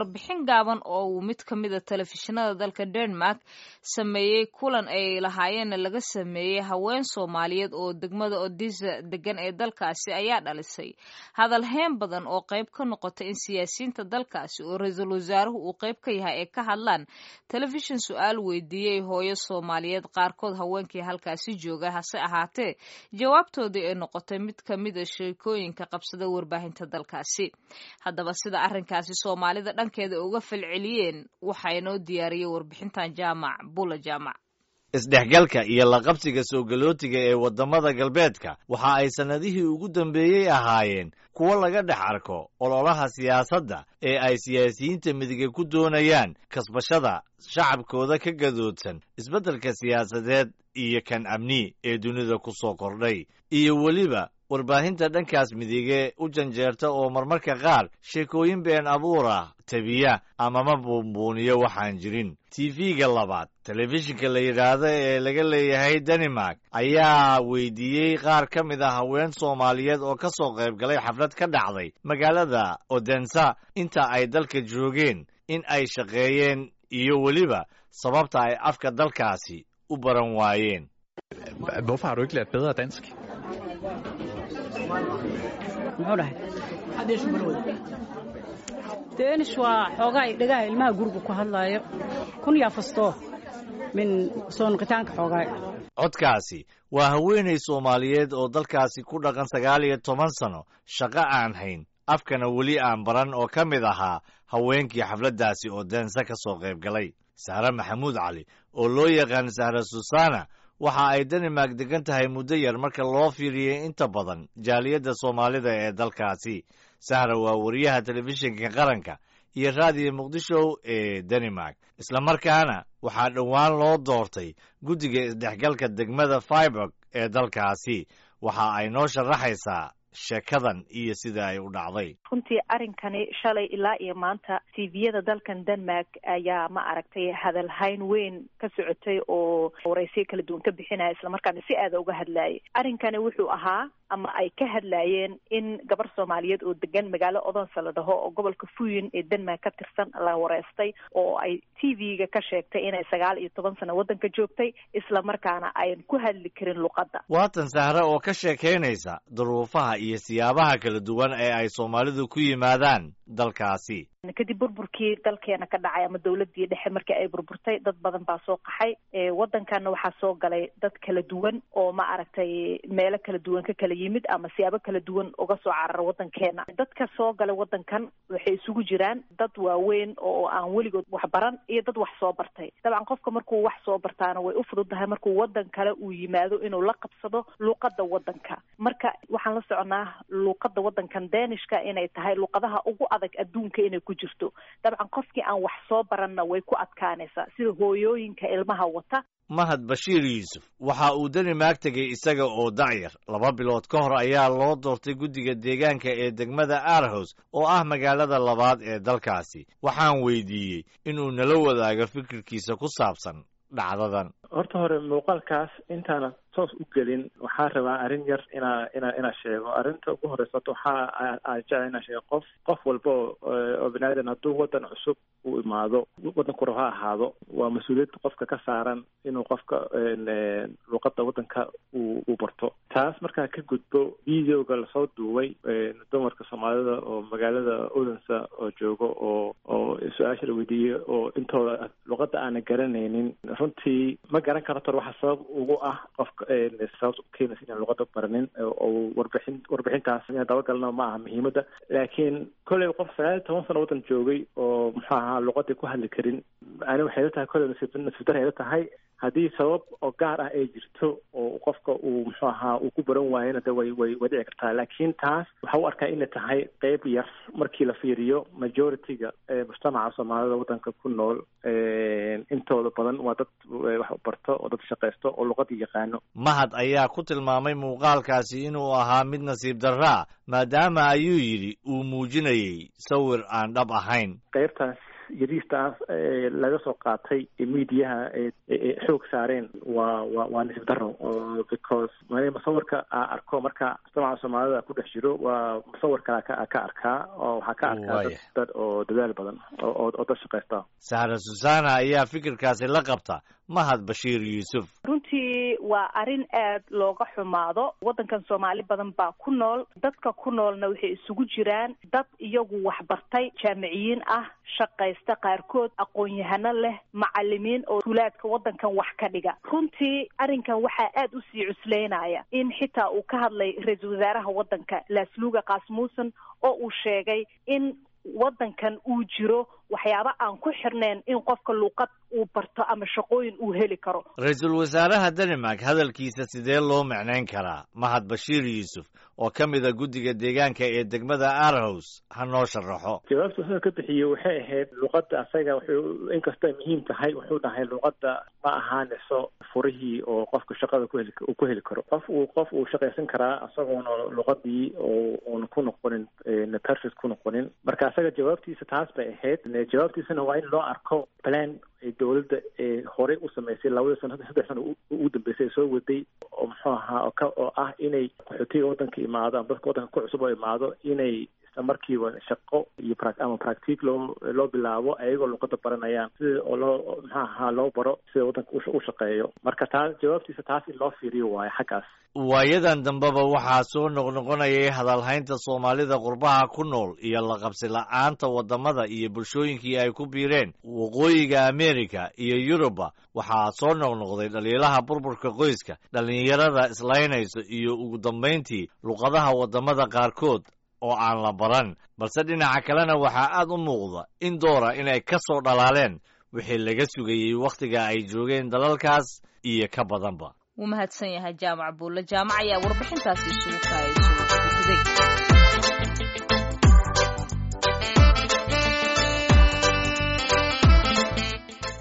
Warbixin gaaban oo uu mid ka mid a telefishinada dalka Denmark sameeyey kulan ay lahaayeenna laga sameeyey haween Soomaaliyeed oo degmada Odisa degan ee dalkaasi ayaa dhalisay hadal heen badan oo qayb ka noqotay in siyaasiyiinta dalkaasi oo ra-iisul wasaaruhu uu qayb ka yahay ay ka hadlaan telefishin su-aal weydiiyey hooyo Soomaaliyeed qaarkood haweenkii halkaasi jooga, hase ahaatee jawaabtoodii ay noqotay mid ka mid a sheekooyinka qabsada warbaahinta dalkaasi. Haddaba sida arrinkaasi Soomaalida dhankeeda uga falceliyeen waxaa inoo diyaariyey warbixintan Jaamac Bula Jaamac. Isdhexgalka iyo laqabsiga soo galootiga ee waddamada galbeedka waxa ay sannadihii ugu dambeeyey ahaayeen kuwo laga dhex arko ololaha siyaasadda ee ay siyaasiyiinta midiga ku doonayaan kasbashada shacabkooda ka gadoodsan isbeddelka siyaasadeed iyo kan amni ee dunida ku soo kordhay, iyo weliba warbaahinta dhankaas midige u janjeerta oo marmarka qaar sheekooyin been abuur ah tabiya amama buunbuuniyo waxaan jirin. Tv-ga labaad, telefishinka la yidhaahdo ee laga leeyahay Danimark, ayaa weydiiyey qaar ka mid ah haween Soomaaliyeed oo ka soo qayb galay xaflad ka dhacday magaalada Odensa inta ay dalka joogeen in ay shaqeeyeen iyo weliba sababta ay afka dalkaasi u baran waayeen. Hvorfor har du ikke lært bedre dansk? Muxuu dhahay Danish waa xoogaa dhagaha ilmaha guriga ku hadlaayo kun yaa fastoo min soo noqitaanka xoogaa. Codkaasi waa haweenay Soomaaliyeed oo dalkaasi ku dhaqan 19 sano, shaqo aan hayn, afkana weli aan baran, oo ka mid ahaa haweenkii xafladdaasi oo Deense ka soo qayb galay. Sahre Maxamuud Cali oo loo yaqaan Sahre Susana waxa ay Danimark degan tahay muddo yar marka loo fiiriyey inta badan jaaliyadda Soomaalida ee dalkaasi. Sahra waa wariyaha telefishinka qaranka iyo raadiyo Muqdisho ee Danimark, islamarkaana waxaa dhowaan loo doortay guddiga isdhexgalka degmada Fiburg ee dalkaasi. Waxa ay noo sharaxaysaa sheekadan iyo sida ay u dhacday. Runtii arrinkani shalay ilaa iyo maanta tviyada dalkan Denmark ayaa ma aragtay hadalhayn weyn ka socotay oo waraysiyo kala duwan ka bixinaya, islamarkaana si aada uga hadlayay. Arrinkani wuxuu ahaa ama ay ka hadlayeen in gabar Soomaaliyeed oo degan magaalo Odense la dhaho oo gobolka Fuyin ee Denmark ka tirsan la wareystay oo ay tv-ga ka sheegtay inay 19 sano waddanka joogtay, islamarkaana ayan ku hadli karin luqadda. Waatan Sahre oo ka sheekaynaysa duruufaha iyo siyaabaha kala duwan ee ay Soomaalidu ku yimaadaan dalkaasi. Kadib burburkii dalkeena ka dhacay ama dawladii dhexe markii ay burburtay, dad badan baa soo qaxay waddankanna. Waxaa soo galay dad kala duwan oo ma aragtay meelo kala duwan ka kala yimid ama siyaabo kala duwan uga soo carara waddankeena. Dadka soo galay waddankan waxay isugu jiraan dad waaweyn oo aan weligood wax baran iyo dad wax soo bartay. Dabcan qofka markuu wax soo bartaana way u fududahay markuu waddan kale uu yimaado inuu la qabsado luuqadda waddanka. Marka waxaan la soconaa luuqadda waddankan Danishka inay tahay luuqadaha ugu adag adduunka inay ku jirto. Dabcan qofkii aan wax soo baranna way ku adkaanaysaa, sida hooyooyinka ilmaha wata. Mahad Bashiir Yuusuf waxa uu Danimark tegey isaga oo dacyar. 2 bilood ka hor ayaa loo doortay guddiga deegaanka ee degmada Aarhus oo ah magaalada labaad ee dalkaasi. Waxaan weydiiyey inuu nala wadaago fikirkiisa ku saabsan dhacdadan. Horta hore muuqaalkaas intaana toos u gelin, waxaa rabaa arrin yar inaa sheego. Arrinta ugu horeysa horta waxaa aan jecla inaa sheego, qof walba oo bini aadan hadduu waddan cusub u imaado, waddanku rabo ha ahaado, waa mas-uuliyad qofka ka saaran inuu qofka luuqadda waddanka uu barto. Taas markaa ka gudbo, videoga lasoo duubay dumarka Soomaalida oo magaalada Odense oo joogo oo su-aasha la weydiiyey oo intooda luuqadda aana garanaynin, runtii ma garan karo tor waxa sabab ugu ah qofka sababta u keenaysa inaan luqadda baranin oo warbixintaas inaan dabagalno ma aha muhiimadda. Laakiin kolley qof 19 sano waddan joogay oo muxuu ahaa luqadii ku hadli karin, ani waxay la tahay kolley nasiib dar ay la tahay. Haddii sabab oo gaar ah ay jirto oo qofka uu muxuu ahaa uu ku baran waayona, de way dhici kartaa. Laakiin taas waxa u arkaa inay tahay qeyb yar markii la fiiriyo majority-ga mujtamaca Soomaalida waddanka ku nool. Intooda badan waa dad wax barto oo dad shaqaysto oo luqadii yaqaano. Mahad ayaa ku tilmaamay muuqaalkaasi inuu ahaa mid nasiib darraa, maadaama ayuu yidhi uu muujinayay sawir aan dhab ahayn. Qaybtaas yariistaas laga soo qaatay miidiyaha xoog saareen waa wa waa nisib daro, because masawirka aa arko marka mujtamaca soomaalida ku dhex jiro waa masawir kale ka arkaa, oo waxaa ka arkaa dad oo dadaal badan oo dad shaqaysta. Sahra Susana ayaa fikirkaasi la qabta Mahad Bashiir Yuusuf. Runtii waa arrin aad looga xumaado. Waddankan Soomaali badan baa ku nool. Dadka ku noolna waxay isugu jiraan dad iyagu waxbartay, jaamiciyiin ah, shaqaysta, qaarkood aqoon-yahano leh, macalimiin oo tuulaadka waddankan wax ka dhiga. Runtii arrinkan waxaa aad usii cuslaynaya in xitaa uu ka hadlay ra-iisul wasaaraha waddanka Lasluga Kaasmuusen, oo uu sheegay in waddankan uu jiro waxyaabo aan ku xirnayn in qofka luuqad uu barto ama shaqooyin uu heli karo. Ra-iisul wasaaraha Denmark hadalkiisa sidee loo macnayn karaa? Mahad Bashiir Yuusuf oo ka mida guddiga deegaanka ee degmada Arhos ha noo sharaxo. Jawaabta wuxuu ka bixiyey waxay ahayd luqadda asaga wuxuu inkastoo muhiim tahay, wuxuu dhahay luqadda ma ahaanayso furihii oo qofka shaqada kuheli uu ku heli karo. Qof uu shaqaysan karaa isagoona luqadii oo uuna ku noqonin perfect ku noqonin. Marka asaga jawaabtiisa taas bay ahayd. Jawaabtiisana waa in loo arko plan ay dowladda horey u samaysay 2dii sano, 3 sano ugu dambeysay soo waday, oo muxuu ahaa oo ah inay qaxootiga waddanka imaado ama dadka waddanka ku cusub oo imaado inay isla markiiba shaqo iyo ama practic loo bilaabo ayagoo luqadda baranayaan, sida oo loo muxuu ahaa loo baro sida waddanka u shaqeeyo. Marka taas jawaabtiisa taas in loo fiiriyo waayo xaggaas. Waayadan dambeba waxaa soo noqnoqonayay hadalhaynta soomaalida qurbaha ku nool iyo laqabsi la'aanta waddamada iyo bulshooyinkii ay ku biireen waqooyiga Amerika iyo Yuruba. Waxaa soo noqnoqday dhaliilaha burburka qoyska, dhallinyarada islaynayso iyo ugu dambayntii luqadaha waddamada qaarkood oo aan la baran. Balse dhinaca kalena waxaa aad u muuqda in doora inay ka soo dhalaaleen wixii laga sugayey wakhtiga ay joogeen dalalkaas iyo ka badanba. Wuu mahadsan yahay Jaamac Buulle Jaamac ayaa warbixintaasi isugu kaayay.